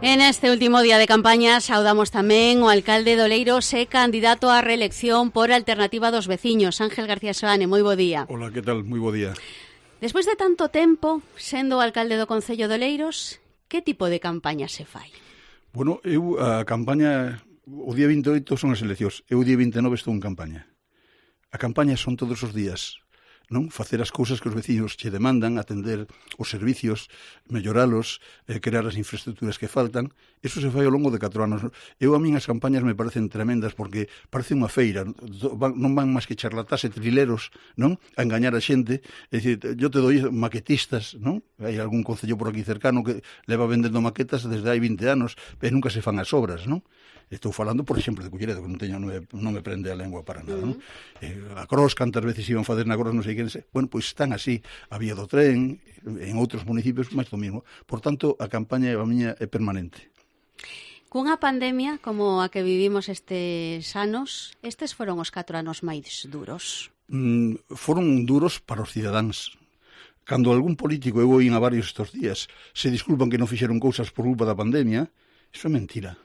En este último día de campaña saudamos tamén o alcalde de Oleiros e candidato á reelección por Alternativa dos Veciños, Ángel García Soane. Moi bo día. Hola, que tal? Moi bo día. Despois de tanto tempo sendo o alcalde do Concello de Oleiros, que tipo de campaña se fai? Bueno, a campaña, o día 28 son as eleccións, o día 29 estou en campaña. A campaña son todos os días, non? Facer as cousas que os veciños che demandan, atender os servicios, melloralos, crear as infraestructuras que faltan. Eso se fai ao longo de 4 anos. A min as campañas me parecen tremendas porque parece unha feira, non van máis que charlatás e trileros, non? A engañar a xente. É dicir, yo te doi maquetistas, non? Hai algún concello por aquí cercano que leva vendendo maquetas desde hai 20 anos e nunca se fan as obras, non? Estou falando, por exemplo, de Culleredo, que non me prende a lengua para nada, non? A Cros, cantas veces iban fazer na Cros, non sei quen sei. Bueno, pois están así, a vía do tren, en outros municipios, máis do mismo. Por tanto, a campaña a miña é permanente. Cunha pandemia como a que vivimos estes anos, estes foron os 4 anos máis duros. Foron duros para os cidadáns. Cando algún político, eu oín a varios estes días, se disculpan que non fixeron cousas por culpa da pandemia, iso é mentira.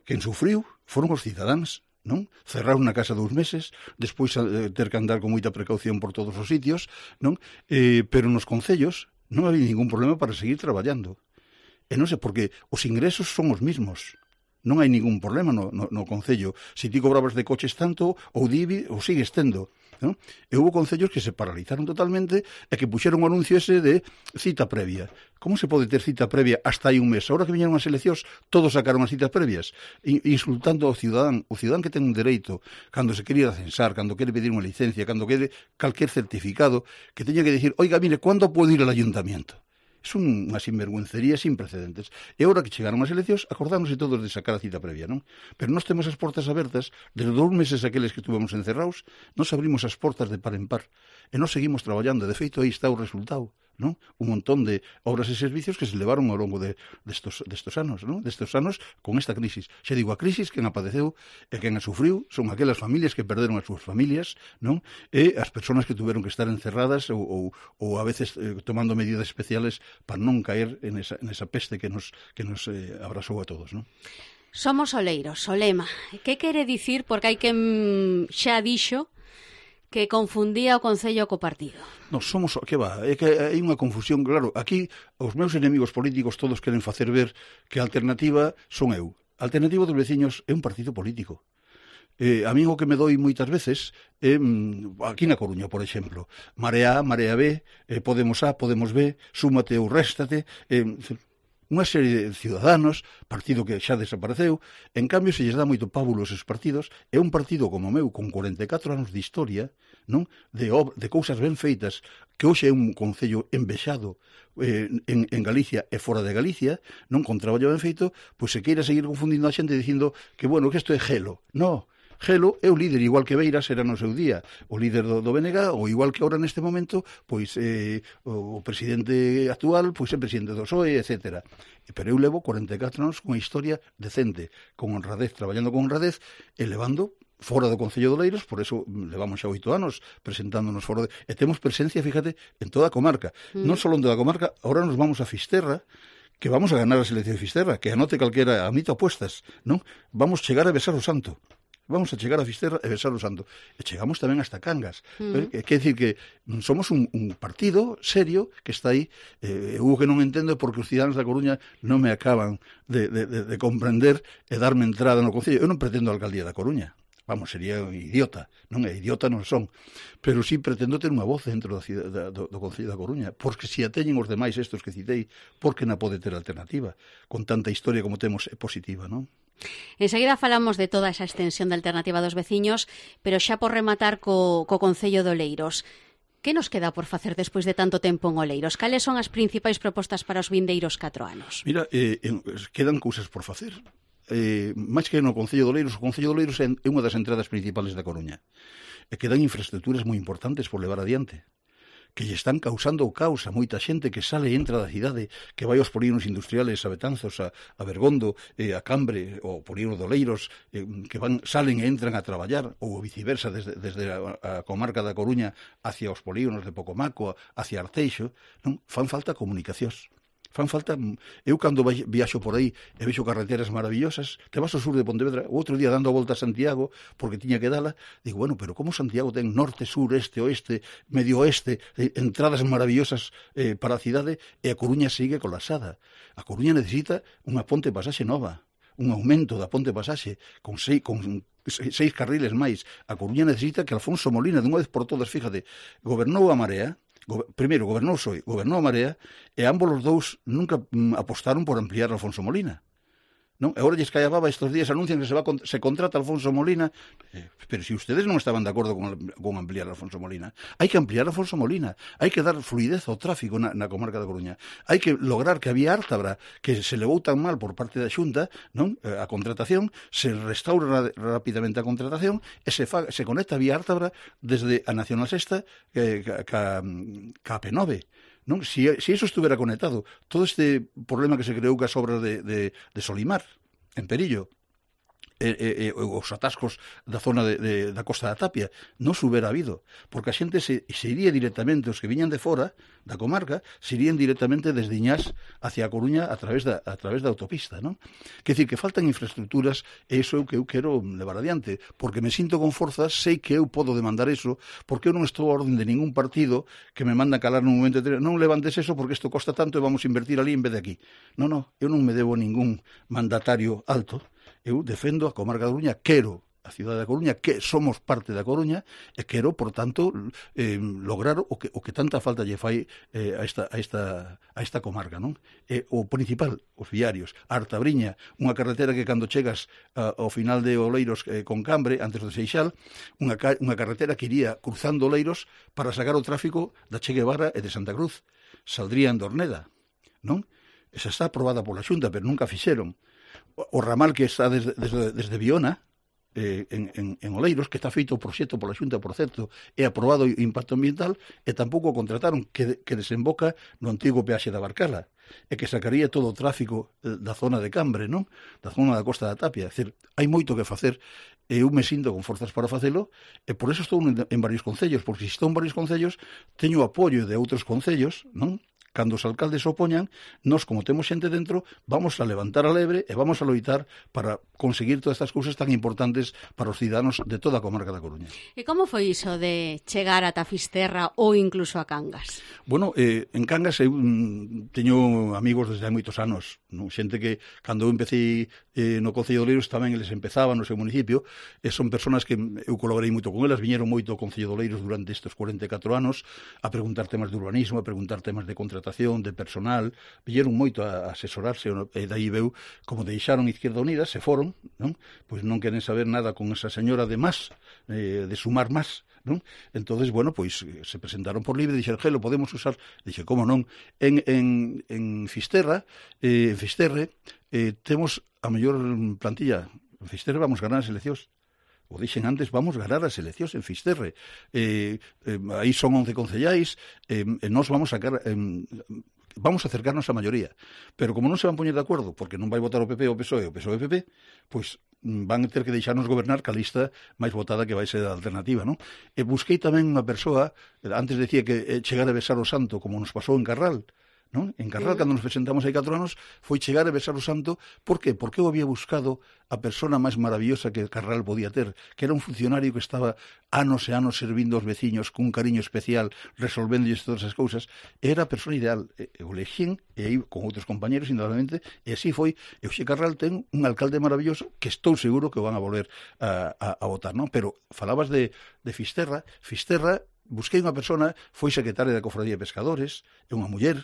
Quen sufriu foron os cidadáns, non? Cerraron na casa 2 meses, despois ter que andar con moita precaución por todos os sitios, non? Pero nos concellos non había ningún problema para seguir traballando. E non sei, porque os ingresos son os mismos. Non hai ningún problema no concello. Se ti cobrabas de coches tanto, ou DIBI, ou sigues tendo. Non? E houve concellos que se paralizaron totalmente e que puxeron o anuncio ese de cita previa. Como se pode ter cita previa hasta hai un mes? Ahora que viñeron as eleccións, todos sacaron as citas previas, insultando ao cidadán. O cidadán que ten un dereito, cando se quere ir a censar, cando quere pedir unha licencia, cando quere calquer certificado, que teña que dicir, oiga, mire, ¿cuándo puedo ir al ayuntamiento? É unha sinvergüencería sin precedentes. E agora que chegaron as eleccións, acordáronse todos de sacar a cita previa, non? Pero nós temos as portas abertas, desde 2 meses aqueles que estuvemos encerrados, nos abrimos as portas de par en par. E nos seguimos traballando. De feito, aí está o resultado, non? Un montón de obras e servicios que se levaron ao longo destos anos, non? Destos anos con esta crisis. Xa digo, a crisis quen a padeceu e quen a sufriu son aquelas familias que perderon as súas familias, non? E as persoas que tuveron que estar encerradas ou a veces tomando medidas especiales para non caer en esa peste que nos abrasou a todos, non? Somos oleiros, o lema. Que quere dicir? Porque hai quen xa dixo que confundía o Concello co partido. Non, somos, que va, é que hai unha confusión, claro, aquí os meus enemigos políticos todos queren facer ver que a alternativa son eu. A Alternativa dos Veciños é un partido político. A mí o que me doi moitas veces é, aquí na Coruña, por exemplo, Marea A, Marea B, Podemos A, Podemos B, Súmate ou Réstate, unha serie de ciudadanos, partido que xa desapareceu, en cambio se lles dá moito pábulo esos partidos, é un partido como o meu, con 44 anos de historia, non? De cousas ben feitas, que hoxe é un concello envexado en Galicia e fora de Galicia, non, con traballo ben feito, pois se queira seguir confundindo a xente dicindo que, bueno, que isto é gelo. Non. Gelo é o líder, igual que Beiras era no seu día o líder do BNG, ou igual que ahora neste momento pois o presidente actual pois é presidente do PSOE, etc. Pero eu levo 44 anos con unha historia decente, con honradez, traballando con honradez e levando fora do Concello de Oleiros, por eso levamos xa 8 anos presentándonos fora e temos presencia, fíjate, en toda a comarca. Non só en toda a comarca, ahora nos vamos a Fisterra, que vamos a ganar as eleccións de Fisterra, que anote calquera, admito apuestas, non? Vamos chegar a besar o santo. Vamos a chegar a Fisterra e besar o santo. E chegamos tamén hasta Cangas. Quer dicir que somos un partido serio que está aí. Eu que non entendo porque os cidadáns da Coruña non me acaban de comprender e darme entrada no Concello. Eu non pretendo a alcaldía da Coruña. Vamos, sería un idiota. Non é idiota, non son. Pero sí pretendo ter unha voz dentro do Concello da Coruña. Porque se a teñen os demais estos que citei, por que non pode ter alternativa? Con tanta historia como temos é positiva, non? Enseguida falamos de toda esa extensión da Alternativa dos Veciños, pero xa por rematar co Concello de Oleiros. Que nos queda por facer despois de tanto tempo en Oleiros? Cales son as principais propostas para os vindeiros 4 anos? Mira, quedan cousas por facer. Máis que no Concello de Oleiros, o Concello de Oleiros é unha das entradas principales da Coruña. E quedan infraestructuras moi importantes por levar adiante, que lle están causando o caos a moita xente que sale e entra da cidade, que vai aos polígonos industriales, a Betanzos, a Bergondo, a Cambre, ou polígono de Oleiros, que salen e entran a traballar, ou viceversa, desde a comarca da Coruña hacia os polígonos de Pocomaco, hacia Arteixo, non? Fan falta comunicacións. Fan falta... Eu cando viaxo por aí e vexo carreteras maravillosas, te vas ao sur de Pontevedra, o outro día dando a volta a Santiago, porque tiña que dala, digo, bueno, pero como Santiago ten norte, sur, este, oeste, medio oeste, entradas maravillosas para a cidade, e a Coruña sigue colapsada. A Coruña necesita unha ponte pasaxe nova, un aumento da ponte pasaxe con seis carriles máis. A Coruña necesita que Alfonso Molina, de unha vez por todas, fíjate, gobernou a Marea, primeiro gobernou PSOE, gobernou a Marea, e ambos os dous nunca apostaron por ampliar Alfonso Molina. Non? E agora lles cae a baba, estes días anuncian que se contrata Alfonso Molina, pero si ustedes non estaban de acordo con ampliar Alfonso Molina, hai que ampliar Alfonso Molina, hai que dar fluidez ao tráfico na comarca da Coruña, hai que lograr que a vía Ártabra, que se levou tan mal por parte da Xunta, non? A contratación, se restaura rapidamente a contratación e se conecta a vía Ártabra desde a Nacional Sexta ca P9. Non? Si eso estuvera conectado, todo este problema que se creou cas obras de Solimar, en Perillo, os atascos da zona da Costa da Tapia, non se hubiera habido, porque a xente se iría directamente, os que viñan de fora da comarca, se irían directamente desde Iñás hacia a Coruña a través da autopista, non? Quer dicir, que faltan infraestructuras, e iso é o que eu quero levar adiante, porque me sinto con forzas, sei que eu podo demandar eso, porque eu non estou a orden de ningún partido que me manda calar nun momento de non levantes eso porque isto costa tanto e vamos a invertir ali en vez de aquí. Non, eu non me debo a ningún mandatario alto. Eu defendo a comarca da Coruña, quero a cidade da Coruña, que somos parte da Coruña, e quero, por tanto, lograr o que tanta falta lle fai a esta comarca, non? O principal, os viarios, a Artabriña, unha carretera que cando chegas ao final de Oleiros con Cambre, antes do Seixal, unha carretera que iría cruzando Oleiros para sacar o tráfico da Che Guevara e de Santa Cruz. Saldría en Dorneda, non? Esa está aprobada pola Xunta, pero nunca fixeron. O ramal que está desde Viona, en Oleiros, que está feito o proxecto pola Xunta, por certo, é aprobado o impacto ambiental, e tampouco contrataron, que desemboca no antigo peaxe da Barcala, e que sacaría todo o tráfico da zona de Cambre, non? Da zona da Costa da Tapia. É dicir, hai moito que facer, e eu me sinto con forzas para facelo, e por eso estou en varios concellos, porque se estou en varios concellos, teño apoio de outros concellos, non? Cando os alcaldes se opoñan, nós, como temos xente dentro, vamos a levantar a lebre e vamos a loitar para conseguir todas estas cousas tan importantes para os cidadanos de toda a comarca da Coruña. E como foi iso de chegar ata Fisterra ou incluso a Cangas? Bueno, en Cangas eu teño amigos desde hai moitos anos, non? Xente que, cando eu empecé no Concello de Oleiros, tamén eles empezaban no seu municipio, e son personas que eu colaborei moito con elas, viñeron moito ao Concello de Oleiros durante estes 44 anos a preguntar temas de urbanismo, a preguntar temas de contratación, de personal, vieron moito a asesorarse, e dai veu como deixaron Izquierda Unida, se foron, non? Pois non queren saber nada con esa señora de más, de sumar más, non? Entonces, bueno, pois se presentaron por libre e dixeron, lo podemos usar. Dixe, como non? En Fisterra, en Fisterre, temos a mellor plantilla. En Fisterre vamos ganar as eleccións. O dixen antes, vamos ganar as eleccións en Fisterre. Aí son 11 concellais, e nós vamos sacar... vamos a acercarnos á maioría. Pero como non se van poñer de acordo, porque non vai votar o PP ou o PSOE, o PSOE e o PP, pois van ter que deixarnos gobernar ca lista máis votada que vai ser a alternativa, non? E busquei tamén unha persoa, antes decía que chegar a besar o santo, como nos pasou en Carral, non? En Carral, cando nos presentamos hai 4 anos, foi chegar a besar o santo. Por qué? Porque eu había buscado a persona máis maravillosa que Carral podía ter, que era un funcionario que estaba anos e anos servindo aos veciños cun cariño especial, resolvéndolles todas as cousas. Era a persona ideal. Eu lexín, e aí con outros compañeros, indudablemente, e así foi. E hoxe Carral ten un alcalde maravilloso que estou seguro que van a volver a votar, non? Pero falabas de Fisterra. Fisterra, busquei unha persona, foi secretaria da Cofradía de Pescadores, é unha muller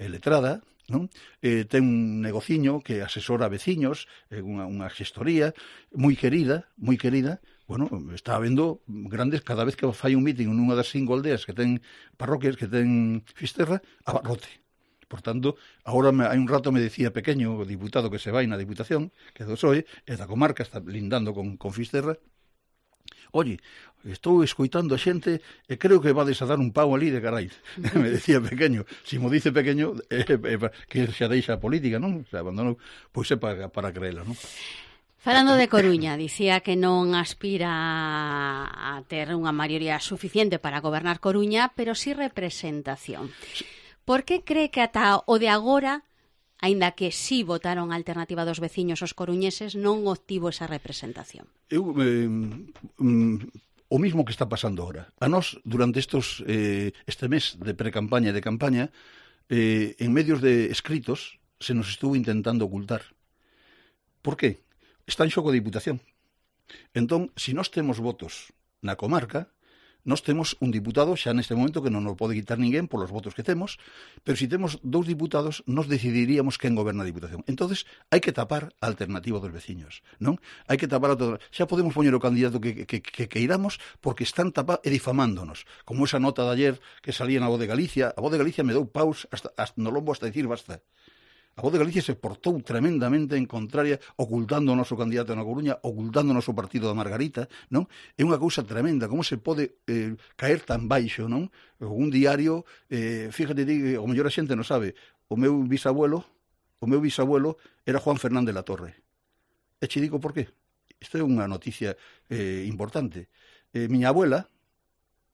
letrada, non? Ten un negociño que asesora a veciños, unha gestoría moi querida. Bueno, está habendo grandes, cada vez que fai un meeting nunha das 5 aldeas que ten parroquias, que ten Fisterra, abarrote. Por tanto, agora hai un rato me decía Pequeño, o diputado que se vai na Diputación, que é do PSOE, e da comarca, está lindando con Fisterra. Oye, estou escoitando a xente e creo que vades a dar un pau ali de carai. Me decía Pequeño. Si mo dice Pequeño, que xa deixa a política, non? Se abandonou, pois é para creela, non? Falando de Coruña, dicía que non aspira a ter unha maioría suficiente para gobernar Coruña, pero sí representación. Por que cree que ata o de agora aínda que sí votaron a Alternativa dos Veciños os coruñeses, non obtivo esa representación. O mismo que está pasando ahora. A nós, durante este mes de pre-campaña e de campaña, en medios de escritos se nos estuvo intentando ocultar. Por qué? Está en xogo a Diputación. Entón, se nós temos votos na comarca, nós temos un diputado xa neste momento que non nos pode quitar ninguén polos votos que temos, pero se temos 2 diputados, nos decidiríamos quen goberna a Diputación. Entonces, hai que tapar a Alternativa dos Veciños, non? Hai que tapar xa podemos poñer o candidato que queiramos porque están tapando e difamándonos, como esa nota de ayer que salía na Voz de Galicia. A Voz de Galicia me dou paus hasta no lombo hasta decir basta. A Voz de Galicia se portou tremendamente en contraria, ocultando o noso candidato na Coruña, ocultando o noso partido da Margarita, non? É unha cousa tremenda, como se pode caer tan baixo, non? Un diario, fíjate ti, o mellor a xente non sabe, o meu bisabuelo era Juan Fernández la Torre. E che digo por qué. Isto é unha noticia importante. Miña abuela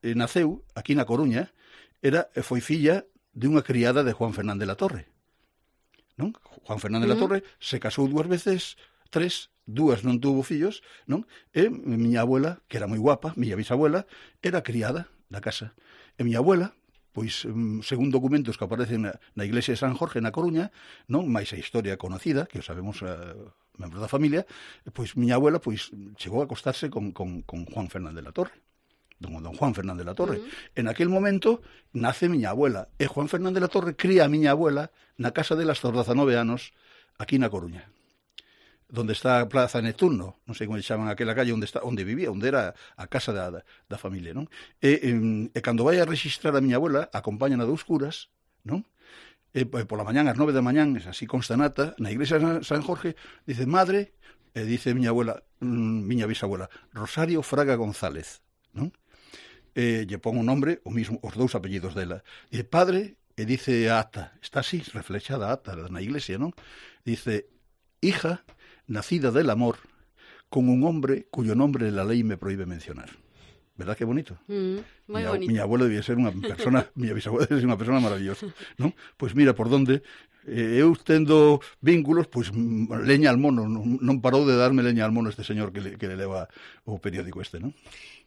naceu aquí na Coruña, foi filla de unha criada de Juan Fernández la Torre. Non? Juan Fernández la Torre se casou 2 veces, 3, 2 non tuvo fillos, non? E miña abuela, que era moi guapa, miña bisabuela, era criada da casa. E miña abuela, pois, según documentos que aparecen na iglesia de San Jorge, na Coruña, non? Mais a historia conocida, que o sabemos membros da familia, pois miña abuela pois chegou a acostarse con Juan Fernández la Torre. Don Juan Fernández la Torre. En aquel momento nace miña abuela e Juan Fernández la Torre cría a miña abuela na casa delas aos 19 anos aquí na Coruña, donde está a Plaza Neptuno, non sei como chaman aquela calle onde vivía, onde era a casa da familia, non? E cando vai a registrar a miña abuela, acompañan a 2 curas, non? E pola mañán, ás 9 da mañán, así consta nata, na iglesia de San Jorge, dice madre, e dice miña abuela, miña bisabuela, Rosario Fraga González, non? Lle pon o nombre, o mismo, os 2 apellidos dela. E padre, e dice a ata, está así, reflexada a ata na iglesia, non? Dice, hija nacida del amor, con un hombre cuyo nombre la ley me prohíbe mencionar. ¿Verdad que bonito? Moi bonito. Miña abuela debía ser unha persona, miña bisabuela debía ser unha persona maravillosa, non? Pois mira por donde eu tendo vínculos, pois leña al mono, non parou de darme leña al mono este señor que le leva o periódico este, non?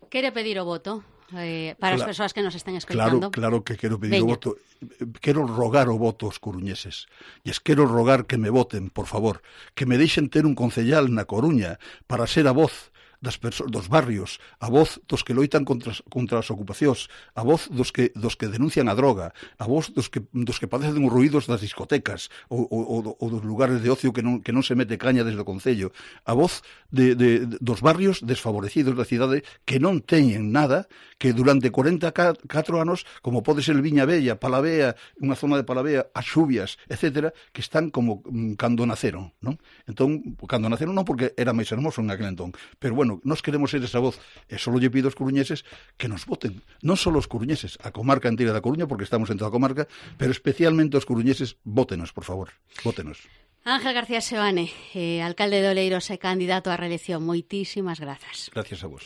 Quere pedir o voto para as persoas que nos están escoitando? Claro que quero pedir o voto. Quero rogar o voto aos coruñeses. E quero rogar que me voten, por favor, que me deixen ter un concellal na Coruña para ser a voz dos barrios, a voz dos que loitan contra as ocupacións, a voz dos que denuncian a droga, a voz dos que padecen os ruídos das discotecas ou dos lugares de ocio que non se mete caña desde o Concello, a voz dos barrios desfavorecidos da cidade que non teñen nada, que durante 44 anos, como pode ser Viña Bella, Palavea, unha zona de Palavea, as Xubias, etcétera, que están como cando naceron, non? Entón, cando naceron non porque era máis hermoso en aquel entón, pero bueno, nós queremos ser esa voz, e só lle pido aos coruñeses que nos voten, non só os coruñeses, a comarca inteira da Coruña, porque estamos en toda a comarca, pero especialmente os coruñeses, vótenos, por favor, vótenos. Ángel García Seoane, alcalde de Oleiros e candidato á reelección, moitísimas grazas. Gracias a vos.